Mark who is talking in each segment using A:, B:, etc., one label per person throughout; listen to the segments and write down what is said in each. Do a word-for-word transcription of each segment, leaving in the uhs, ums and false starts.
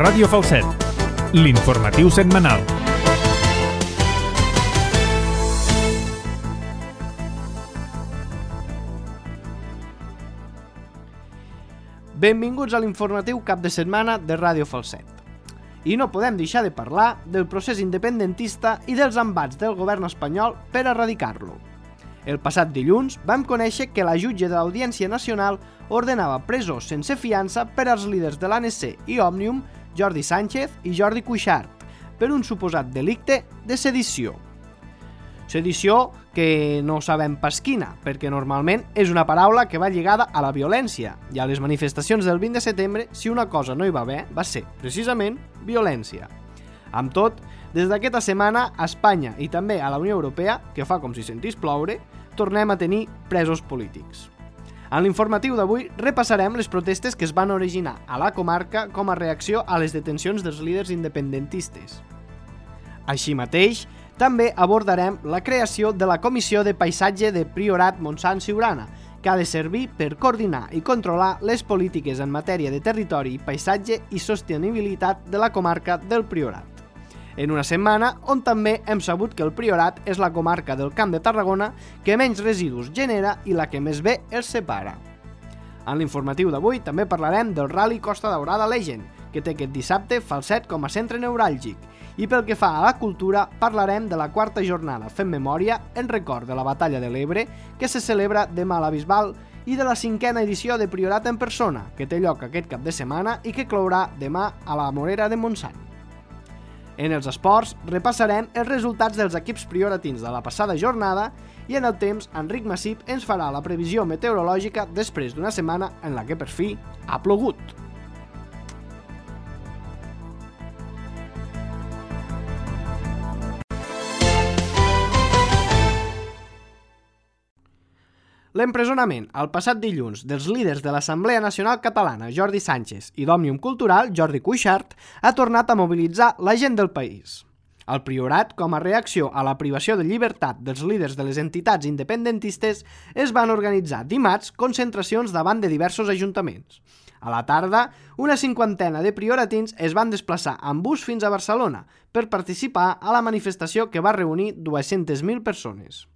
A: Ràdio Falset, l'informatiu setmanal.
B: Benvinguts a l'informatiu cap de setmana de Ràdio Falset. I no podem deixar de parlar del procés independentista i dels embats del govern espanyol per erradicar-lo. El passat dilluns vam conèixer que la jutge de l'Audiència Nacional ordenava presó sense fiança per als líders de l'A N C i Òmnium, Jordi Sánchez i Jordi Cuixart, per un suposat delicte de sedició. Sedició que no sabem pas quina, perquè normalment és una paraula que va lligada a la violència, i a les manifestacions del vint de setembre, si una cosa no hi va bé, va ser, precisament, violència. Amb tot, des d'aquesta setmana, a Espanya i també a la Unió Europea, que fa com si sentís ploure, tornem a tenir presos polítics. En l'informatiu d'avui repassarem les protestes que es van originar a la comarca com a reacció a les detencions dels líders independentistes. Així mateix, també abordarem la creació de la Comissió de Paisatge de Priorat Montsant Siurana, que ha de servir per coordinar i controlar les polítiques en matèria de territori, paisatge i sostenibilitat de la comarca del Priorat. En una setmana on també hem sabut que el Priorat és la comarca del Camp de Tarragona que menys residus genera i la que més bé els separa. En l'informatiu d'avui també parlarem del Rally Costa Daurada Legend, que té aquest dissabte Falset com a centre neuràlgic, i pel que fa a la cultura parlarem de la quarta jornada Fem Memòria en record de la Batalla de l'Ebre que se celebra demà a la Bisbal i de la cinquena edició de Priorat en persona, que té lloc aquest cap de setmana i que clourà demà a la Morera de Montsant. En els esports repassarem els resultats dels equips prioratins de la passada jornada i en el temps Enric Massip ens farà la previsió meteorològica després d'una setmana en la que per fi ha plogut. L'empresonament el passat dilluns dels líders de l'Assemblea Nacional Catalana Jordi Sánchez i d'Òmnium Cultural Jordi Cuixart ha tornat a mobilitzar la gent del país. El Priorat, com a reacció a la privació de llibertat dels líders de les entitats independentistes, es van organitzar dimarts concentracions davant de diversos ajuntaments. A la tarda, una cinquantena de prioratins es van desplaçar amb bus fins a Barcelona per participar a la manifestació que va reunir dues-centes mil persones.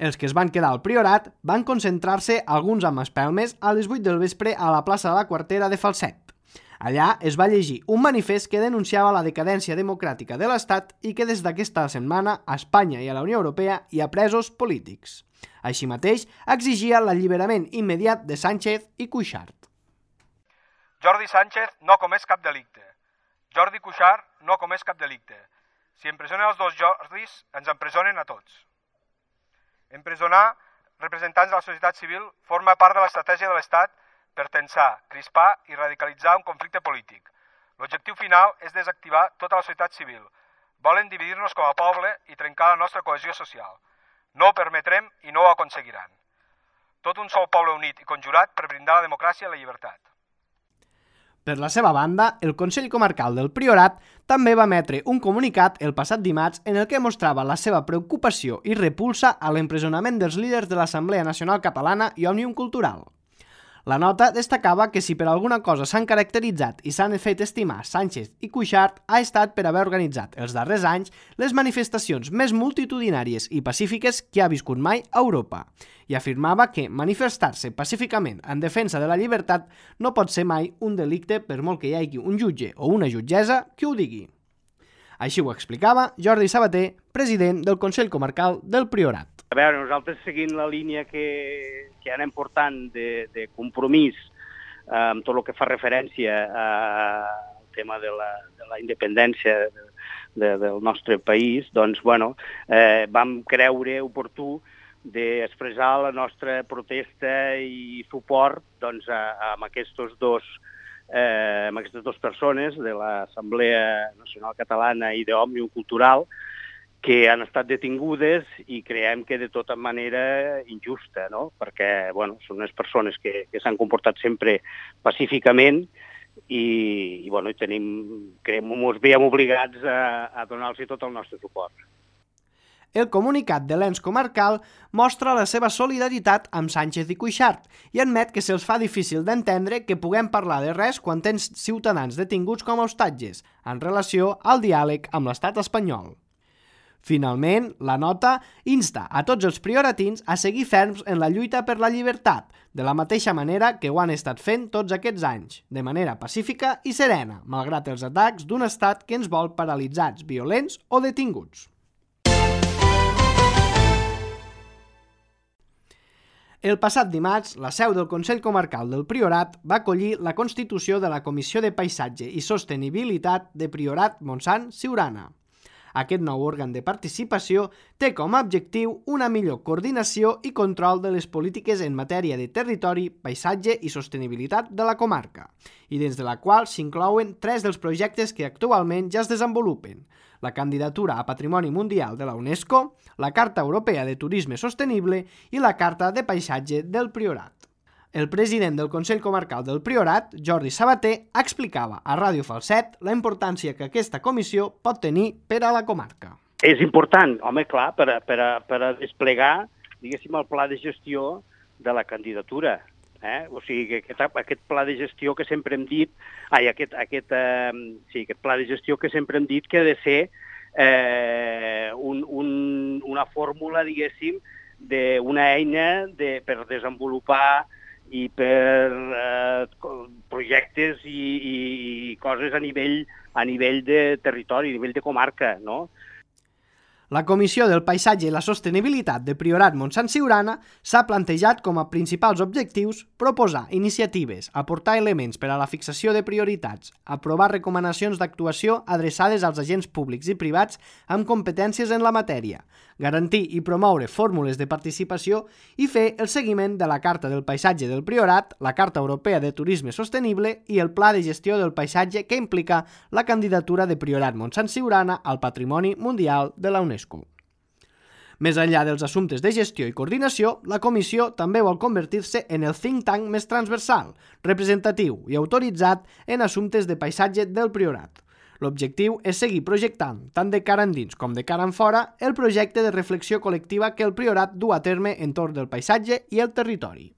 B: Els que es van quedar al Priorat van concentrar-se alguns amb espelmes a les vuit del vespre a la plaça de la Quartera de Falset. Allà es va llegir un manifest que denunciava la decadència democràtica de l'Estat i que des d'aquesta setmana a Espanya i a la Unió Europea hi ha presos polítics. Així mateix, exigia l'alliberament immediat de Sánchez i Cuixart.
C: Jordi Sánchez no comès cap delicte. Jordi Cuixart no comès cap delicte. Si empresonen els dos Jordis, ens empresonen a tots. Empresonar representants de la societat civil forma part de l'estratègia de l'Estat per tensar, crispar i radicalitzar un conflicte polític. L'objectiu final és desactivar tota la societat civil. Volen dividir-nos com a poble i trencar la nostra cohesió social. No ho permetrem i no ho aconseguiran. Tot un sol poble unit i conjurat per brindar la democràcia i la llibertat.
B: Per la seva banda, el Consell Comarcal del Priorat també va emetre un comunicat el passat dimarts en el que mostrava la seva preocupació i repulsa a l'empresonament dels líders de l'Assemblea Nacional Catalana i Òmnium Cultural. La nota destacava que si per alguna cosa s'han caracteritzat i s'han fet estimar Sánchez i Cuixart ha estat per haver organitzat els darrers anys les manifestacions més multitudinàries i pacífiques que ha viscut mai a Europa, i afirmava que manifestar-se pacíficament en defensa de la llibertat no pot ser mai un delicte per molt que hi hagi un jutge o una jutgessa que ho digui. Així ho explicava Jordi Sabater, president del Consell Comarcal del Priorat.
D: A veure, nosaltres seguint la línia que, que anem portant de, de compromís eh, amb tot el que fa referència al tema de la, de la independència de, de, del nostre país, doncs, bueno, eh, vam creure oportú d'expressar la nostra protesta i suport doncs, a, a amb, aquests dos, eh, amb aquestes dues persones de l'Assemblea Nacional Catalana i d'Òmnium Cultural, que han estat detingudes i creiem que de tota manera injusta, no? Perquè bueno, són unes persones que, que s'han comportat sempre pacíficament i, i, bueno, i tenim, creiem, ens veiem obligats a, a donar-los tot el nostre suport.
B: El comunicat de l'ens comarcal mostra la seva solidaritat amb Sánchez i Cuixart i admet que se'ls fa difícil d'entendre que puguem parlar de res quan tens ciutadans detinguts com a hostatges en relació al diàleg amb l'estat espanyol. Finalment, la nota insta a tots els prioratins a seguir ferms en la lluita per la llibertat, de la mateixa manera que ho han estat fent tots aquests anys, de manera pacífica i serena, malgrat els atacs d'un estat que ens vol paralitzats, violents o detinguts. El passat dimarts, la seu del Consell Comarcal del Priorat va acollir la constitució de la Comissió de Paisatge i Sostenibilitat de Priorat Montsant-Siurana. Aquest nou òrgan de participació té com a objectiu una millor coordinació i control de les polítiques en matèria de territori, paisatge i sostenibilitat de la comarca, i dins de la qual s'inclouen tres dels projectes que actualment ja es desenvolupen: la candidatura a Patrimoni Mundial de la UNESCO, la Carta Europea de Turisme Sostenible i la Carta de Paisatge del Priorat. El president del Consell Comarcal del Priorat, Jordi Sabater, explicava a Ràdio Falset la importància que aquesta comissió pot tenir per a la comarca.
D: És important, home, clar, per a, per a, per a desplegar, diguéssim, el pla de gestió de la candidatura. Eh? O sigui, que aquest, aquest pla de gestió que sempre hem dit, ai, aquest, aquest, eh, sí, aquest pla de gestió que sempre hem dit que ha de ser eh, un, un, una fórmula, diguéssim, d'una eina de, per desenvolupar i per eh, projectes i, i, i coses a nivell, a nivell de territori, a nivell de comarca, no?
B: La Comissió del Paisatge i la Sostenibilitat de Priorat Montsant-Siurana s'ha plantejat com a principals objectius proposar iniciatives, aportar elements per a la fixació de prioritats, aprovar recomanacions d'actuació adreçades als agents públics i privats amb competències en la matèria, garantir i promoure fórmules de participació i fer el seguiment de la Carta del Paisatge del Priorat, la Carta Europea de Turisme Sostenible i el Pla de Gestió del Paisatge que implica la candidatura de Priorat Montsant-Siurana al Patrimoni Mundial de la UNESCO. Més enllà dels assumptes de gestió i coordinació, la comissió també vol convertir-se en el think tank més transversal, representatiu i autoritzat en assumptes de paisatge del Priorat. L'objectiu és seguir projectant, tant de cara endins com de cara enfora, el projecte de reflexió col·lectiva que el Priorat du a terme entorn del paisatge i el territori.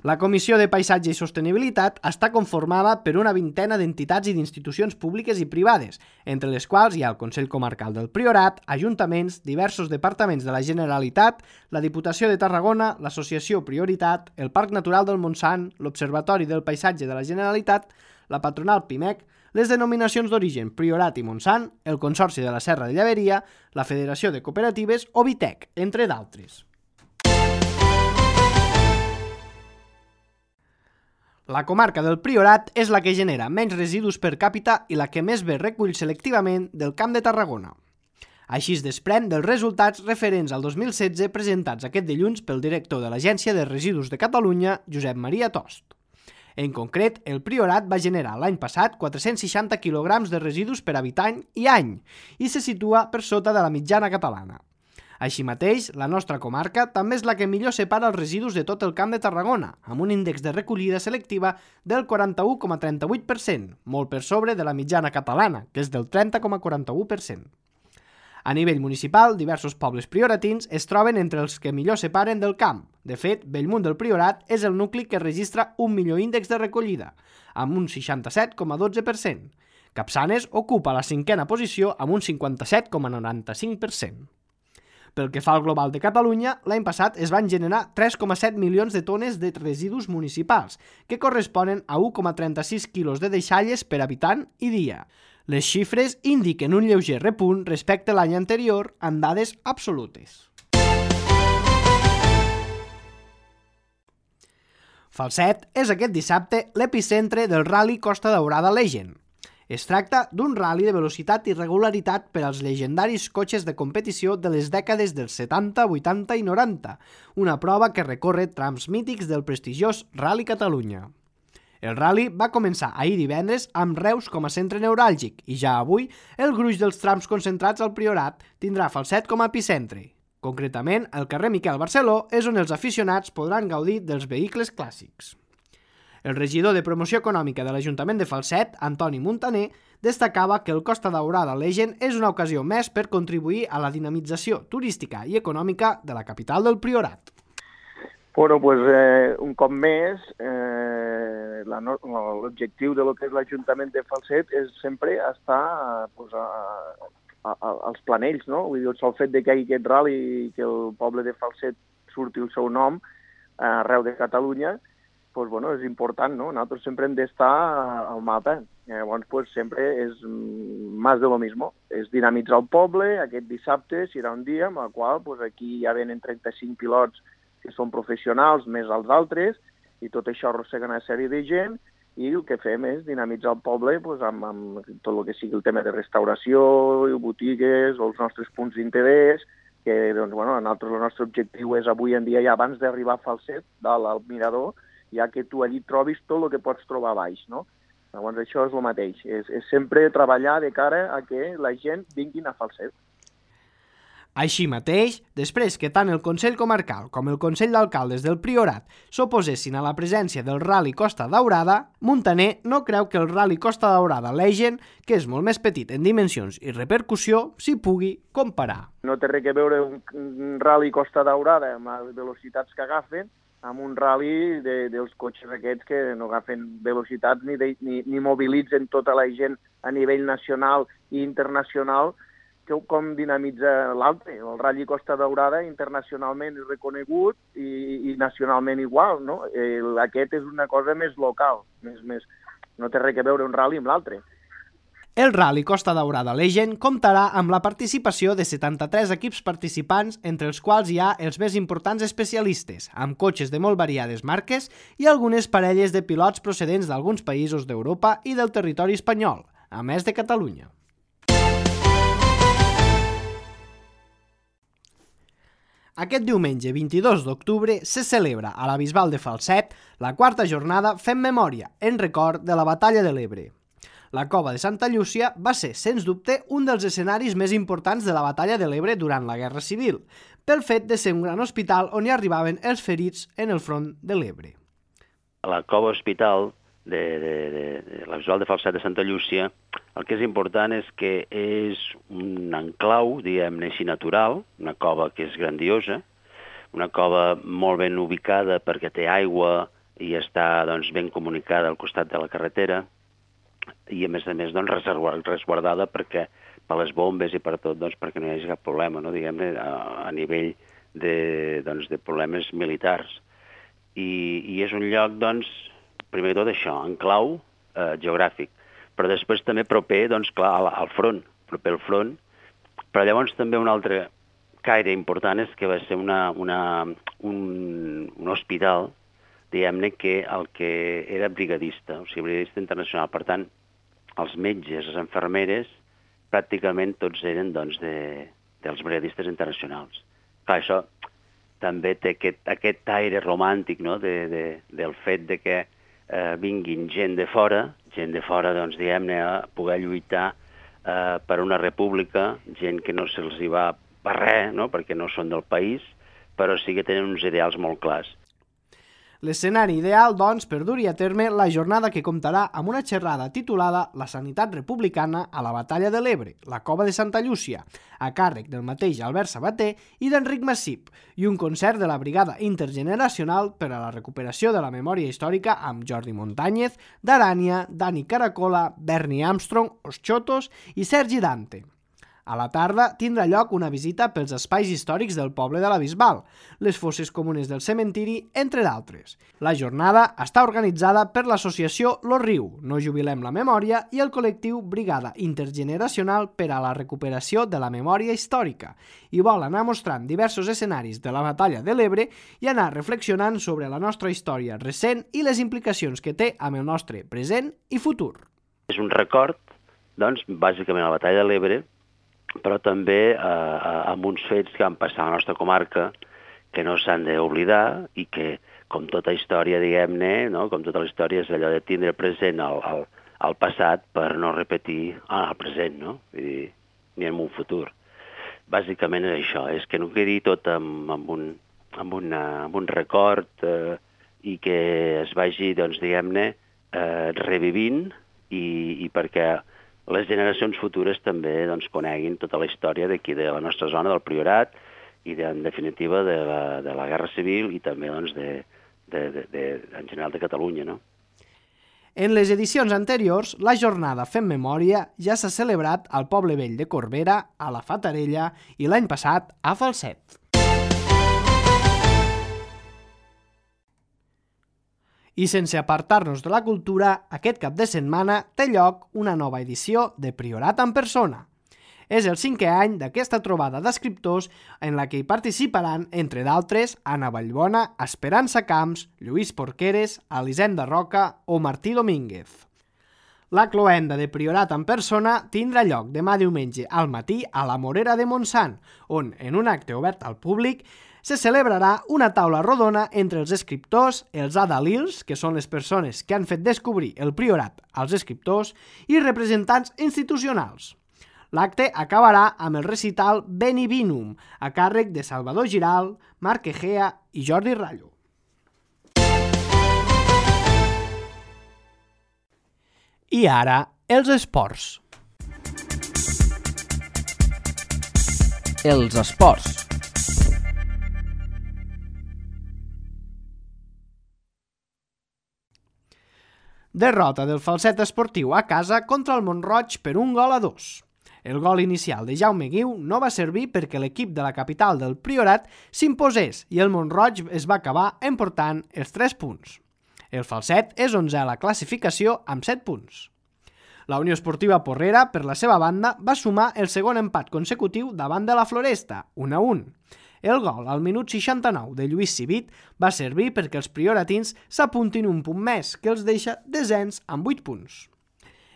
B: La Comissió de Paisatge i Sostenibilitat està conformada per una vintena d'entitats i d'institucions públiques i privades, entre les quals hi ha el Consell Comarcal del Priorat, ajuntaments, diversos departaments de la Generalitat, la Diputació de Tarragona, l'Associació Prioritat, el Parc Natural del Montsant, l'Observatori del Paisatge de la Generalitat, la patronal PIMEC, les denominacions d'origen Priorat i Montsant, el Consorci de la Serra de Llaveria, la Federació de Cooperatives o Vitec, entre d'altres. La comarca del Priorat és la que genera menys residus per càpita i la que més bé recull selectivament del Camp de Tarragona. Així es desprèn dels resultats referents al dos mil setze presentats aquest dilluns pel director de l'Agència de Residus de Catalunya, Josep Maria Tost. En concret, el Priorat va generar l'any passat quatre-cents seixanta quilograms de residus per habitant i any i se situa per sota de la mitjana catalana. Així mateix, la nostra comarca també és la que millor separa els residus de tot el Camp de Tarragona, amb un índex de recollida selectiva del quaranta-u coma trenta-vuit per cent, molt per sobre de la mitjana catalana, que és del trenta coma quaranta-u per cent. A nivell municipal, diversos pobles prioratins es troben entre els que millor separen del camp. De fet, Bellmunt del Priorat és el nucli que registra un millor índex de recollida, amb un seixanta-set coma dotze per cent. Capçanes ocupa la cinquena posició amb un cinquanta-set coma noranta-cinc per cent. Pel que fa al global de Catalunya, l'any passat es van generar tres coma set milions de tones de residus municipals, que corresponen a u coma trenta-sis quilos de deixalles per habitant i dia. Les xifres indiquen un lleuger repunt respecte a l'any anterior en dades absolutes. Falset és aquest dissabte l'epicentre del Rally Costa Daurada Legend. Es tracta d'un ral·li de velocitat i regularitat per als llegendaris cotxes de competició de les dècades dels setanta, vuitanta i noranta, una prova que recorre trams mítics del prestigiós Rally Catalunya. El ral·li va començar ahir divendres amb Reus com a centre neuràlgic i ja avui el gruix dels trams concentrats al Priorat tindrà Falset com a epicentre. Concretament, el carrer Miquel Barceló és on els aficionats podran gaudir dels vehicles clàssics. El regidor de Promoció Econòmica de l'Ajuntament de Falset, Antoni Muntaner, destacava que el Costa Daurada Legend és una ocasió més per contribuir a la dinamització turística i econòmica de la capital del Priorat.
E: Bueno, pues, eh, un cop més, eh, la no, l'objectiu de lo que és l'Ajuntament de Falset és sempre estar pues, a, a, a, als planells, no? Vull dir, el sol fet de que hi hagi aquest rally i que el poble de Falset surti el seu nom arreu de Catalunya, pues, bueno, és important, no? Nosaltres sempre hem d'estar al mapa. Llavors, pues, sempre és més de lo mismo. És dinamitzar el poble. Aquest dissabte serà un dia en el qual pues, aquí ja venen trenta-cinc pilots que són professionals, més els altres, i tot això arrossega una sèrie de gent, i el que fem és dinamitzar el poble pues, amb, amb tot el que sigui el tema de restauració, botigues, o els nostres punts d'interès, que doncs, bueno, nosaltres, el nostre objectiu és avui en dia, ja abans d'arribar a Falset, dalt al mirador, ja que tu allí trobis tot el que pots trobar a baix, no? Llavors això és el mateix, és, és sempre treballar de cara a que la gent vinguin a Falset.
B: Així mateix, després que tant el Consell Comarcal com el Consell d'Alcaldes del Priorat s'oposessin a la presència del Rally Costa Daurada, Muntaner no creu que el Rally Costa Daurada Legend, que és molt més petit en dimensions i repercussió, s'hi pugui comparar.
E: No té res a veure un, un Rally Costa Daurada amb les velocitats que agafen amb un rally de, dels cotxes aquests que no agafen velocitats ni, de, ni, ni mobilitzen tota la gent a nivell nacional i internacional, que com dinamitza l'altre. El Rally Costa Daurada internacionalment és reconegut i, i nacionalment igual, no? El, aquest és una cosa més local, més, més, no té res a veure un rally amb l'altre.
B: El Rally Costa Daurada Legend comptarà amb la participació de setanta-tres equips participants, entre els quals hi ha els més importants especialistes, amb cotxes de molt variades marques i algunes parelles de pilots procedents d'alguns països d'Europa i del territori espanyol, a més de Catalunya. Aquest diumenge vint-i-dos d'octubre se celebra a la Bisbal de Falset la quarta jornada Fem Memòria, en record de la Batalla de l'Ebre. La Cova de Santa Llúcia va ser, sens dubte, un dels escenaris més importants de la Batalla de l'Ebre durant la Guerra Civil, pel fet de ser un gran hospital on hi arribaven els ferits en el front de l'Ebre.
F: A la Cova Hospital de, de, de, de la Bisbal de Falset de Santa Llúcia, el que és important és que és un enclau, diguem-ne així, natural, una cova que és grandiosa, una cova molt ben ubicada perquè té aigua i està doncs, ben comunicada al costat de la carretera, i a més a més doncs, resguardada perquè per les bombes i per tot, doncs, perquè no hi hagi cap problema, no? Diguem-ne, a, a nivell de, doncs, de problemes militars. I, i és un lloc, doncs, primer de tot això, en clau eh, geogràfic, però després també proper, doncs, clar, al, al front, proper al front, però llavors també un altre caire important és que va ser una, una, un, un hospital, diguem-ne que el que era brigadista, o sigui, brigadista internacional. Per tant, els metges, les infermeres, pràcticament tots eren doncs, de, dels brigadistes internacionals. Clar, això també té aquest, aquest aire romàntic, no?, de, de, del fet de que eh, vinguin gent de fora, gent de fora, doncs, diguem-ne, a poder lluitar eh, per una república, gent que no se'ls hi va per res, no?, perquè no són del país, però sí que tenen uns ideals molt clars.
B: L'escenari ideal, doncs, per dur-hi a terme la jornada que comptarà amb una xerrada titulada La sanitat republicana a la batalla de l'Ebre, la Cova de Santa Llúcia, a càrrec del mateix Albert Sabater i d'Enric Massip, i un concert de la Brigada Intergeneracional per a la recuperació de la memòria històrica amb Jordi Montañez, Darània, Dani Caracola, Bernie Armstrong, Os Chotos i Sergi Dante. A la tarda tindrà lloc una visita pels espais històrics del poble de la Bisbal, les fosses comunes del cementiri, entre d'altres. La jornada està organitzada per l'associació Lo Riu, No Jubilem la Memòria i el col·lectiu Brigada Intergeneracional per a la recuperació de la memòria històrica i vol anar mostrant diversos escenaris de la batalla de l'Ebre i anar reflexionant sobre la nostra història recent i les implicacions que té amb el nostre present i futur.
F: És un record, doncs, bàsicament a la batalla de l'Ebre, però també eh, amb uns fets que van passar a la nostra comarca que no s'han d'oblidar i que, com tota història, diguem-ne, no? Com tota la història, és allò de tindre present el, el, el passat per no repetir el present, no? Vull dir, ni en un futur. Bàsicament és això, és que no quedi tot amb, amb, un, amb, una, amb un record eh, i que es vagi, doncs, diguem-ne, eh, revivint i, i perquè les generacions futures també doncs, coneguin tota la història d'aquí de la nostra zona, del Priorat, i de, en definitiva de la, de la Guerra Civil i també doncs, de, de, de, de, en general de Catalunya, no?
B: En les edicions anteriors, la jornada Fem Memòria ja s'ha celebrat al Poble Vell de Corbera, a la Fatarella i l'any passat a Falset. I sense apartar-nos de la cultura, aquest cap de setmana té lloc una nova edició de Priorat en persona. És el cinquè any d'aquesta trobada d'escriptors en la que hi participaran, entre d'altres, Anna Vallbona, Esperança Camps, Lluís Porqueres, Elisenda Roca o Martí Domínguez. La cloenda de Priorat en persona tindrà lloc demà diumenge al matí a la Morera de Montsant, on, en un acte obert al públic, se celebrarà una taula rodona entre els escriptors, els adalils, que són les persones que han fet descobrir el Priorat als escriptors, i representants institucionals. L'acte acabarà amb el recital Beni Vinum, a càrrec de Salvador Giral, Marc Egea i Jordi Rallo. I ara, els esports.
G: Els esports.
B: Derrota del Falset Esportiu a casa contra el Mont-roig per un gol a dos. El gol inicial de Jaume Guiu no va servir perquè l'equip de la capital del Priorat s'imposés i el Mont-roig es va acabar emportant els tres punts. El Falset és onzè a la classificació amb set punts. La Unió Esportiva Porrera, per la seva banda, va sumar el segon empat consecutiu davant de la Floresta, un a un. El gol al minut seixanta-nou de Lluís Civit va servir perquè els prioratins s'apuntin un punt més, que els deixa desens amb vuit punts.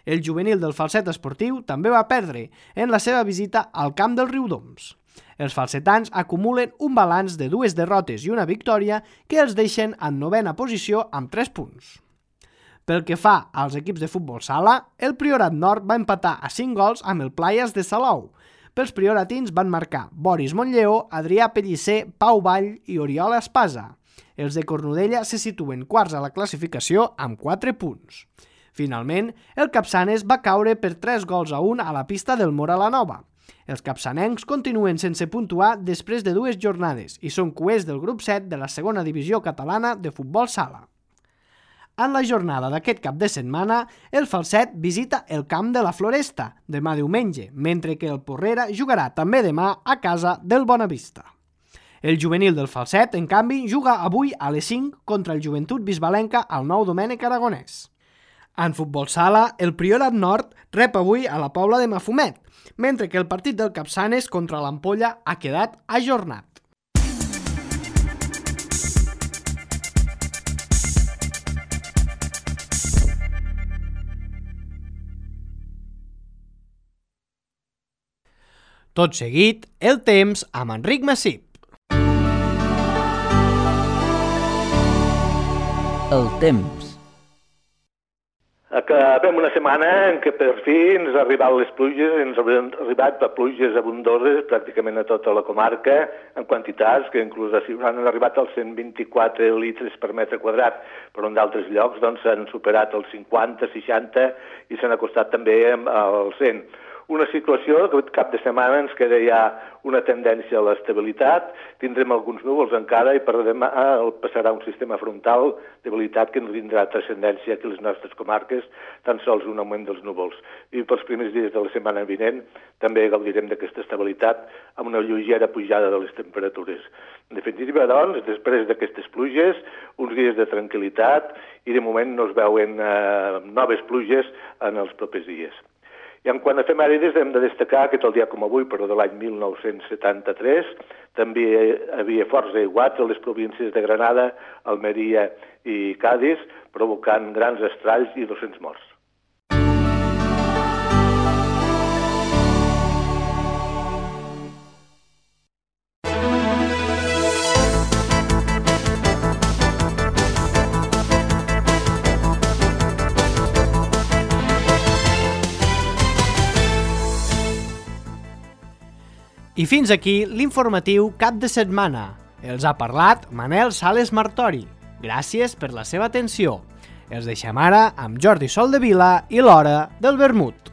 B: El juvenil del Falset Esportiu també va perdre en la seva visita al camp del Riudoms. Els falsetans acumulen un balanç de dues derrotes i una victòria que els deixen en novena posició amb tres punts. Pel que fa als equips de futbol sala, el Priorat Nord va empatar a cinc gols amb el Playas de Salou. Pels prioratins van marcar Boris Montlleó, Adrià Pellicer, Pau Vall i Oriol Espasa. Els de Cornudella se situen quarts a la classificació amb quatre punts. Finalment, el Capçanes va caure per tres gols a un a la pista del Mora la Nova. Els capçanencs continuen sense puntuar després de dues jornades i són cuers del grup set de la segona divisió catalana de futbol sala. En la jornada d'aquest cap de setmana, el Falset visita el camp de la Floresta demà diumenge, mentre que el Porrera jugarà també demà a casa del Bonavista. El juvenil del Falset, en canvi, juga avui a les cinc contra el Joventut Bisbalenca al Nou Domènec Aragonès. En futbol sala, el Priorat Nord rep avui a la Pobla de Mafumet, mentre que el partit del Capçanes contra l'Ampolla ha quedat ajornat. Tot seguit, el temps amb Enric Massip.
G: El temps.
H: Acabem una setmana en què per fi ens han arribat les pluges, ens han arribat pluges abundoses pràcticament a tota la comarca, en quantitats que inclús han arribat als cent vint-i-quatre litres per metre quadrat, però en d'altres llocs doncs, han superat els cinquanta, seixanta i s'han acostat també als cent. Una situació que cap de setmana ens queda ja una tendència a l'estabilitat, tindrem alguns núvols encara i per demà passarà un sistema frontal d'habilitat que ens tindrà transcendència aquí a les nostres comarques, tan sols un augment dels núvols. I pels primers dies de la setmana vinent també gaudirem d'aquesta estabilitat amb una lleugera pujada de les temperatures. En definitiva, doncs, després d'aquestes pluges, uns dies de tranquil·litat i de moment no es veuen eh, noves pluges en els propers dies. I en quant a efemèrides hem de destacar que tal dia com avui, però de l'any mil nou-cents setanta-tres, també hi havia forts aiguats a les províncies de Granada, Almeria i Cádiz, provocant grans estralls i dos-cents morts.
B: I fins aquí l'informatiu cap de setmana. Els ha parlat Manel Sales Martori. Gràcies per la seva atenció. Els deixem ara amb Jordi Soldevila i l'Hora del Vermut.